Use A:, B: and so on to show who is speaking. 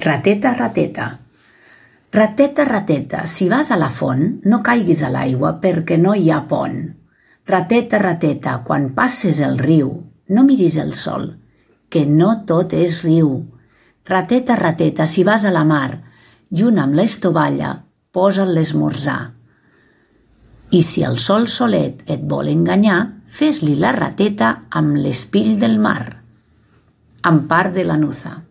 A: Rateta, rateta. Rateta, rateta, si vas a la font, no caiguis a l'aigua perquè no hi ha pont. Rateta, rateta, quan passes el riu, no miris el sol, que no tot és riu. Rateta, rateta, si vas a la mar, junt amb l'estovalla, posa'l l'esmorzar. I si el sol solet et vol enganyar, fes-li la rateta amb l'espill del mar. Ampar de Lanuza.